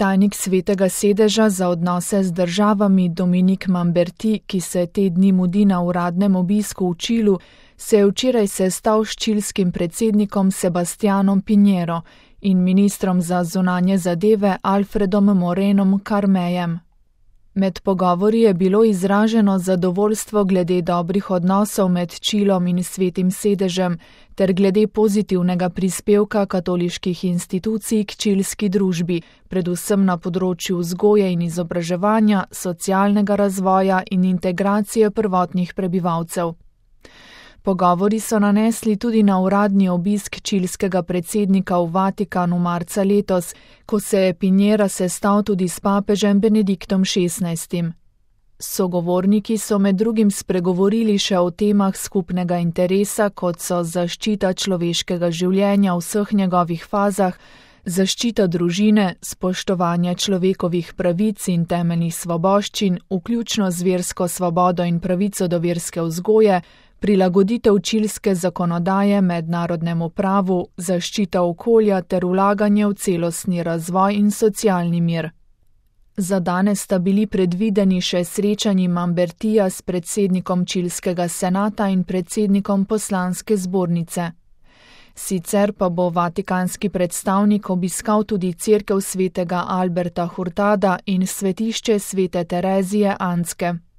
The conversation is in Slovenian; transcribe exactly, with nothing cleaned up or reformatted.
tajnik Svetega sedeža za odnose z državami Dominique Mamberti, ki se te dni mudi na uradnem obisku v Čilu, se je včeraj sestal s čilskim predsednikom Sebastianom Pinheiro in ministrom za zunanje zadeve Alfredom Morenom Carmejem. Med pogovori je bilo izraženo zadovoljstvo glede dobrih odnosov med Čilom in Svetim sedežem ter glede pozitivnega prispevka katoliških institucij k čilski družbi, predvsem na področju vzgoje in izobraževanja, socialnega razvoja in integracije prvotnih prebivalcev. Pogovori so nanesli tudi na uradni obisk čilskega predsednika v Vatikanu marca letos, ko se je Pinheiro sestal tudi s papežem Benediktom šestnajstim. Sogovorniki so med drugim spregovorili še o temah skupnega interesa, kot so zaščita človeškega življenja v vseh njegovih fazah, zaščita družine, spoštovanje človekovih pravic in temeljnih svoboščin, vključno z versko svobodo in pravico do verske vzgoje, prilagoditev čilske zakonodaje mednarodnemu pravu, zaščita okolja ter vlaganje v celostni razvoj in socialni mir. Za danes sta bili predvideni še srečanji Mambertija s predsednikom čilskega senata in predsednikom poslanske zbornice. Sicer pa bo vatikanski predstavnik obiskal tudi cerkev svetega Alberta Hurtada in svetišče svete Terezije Anske.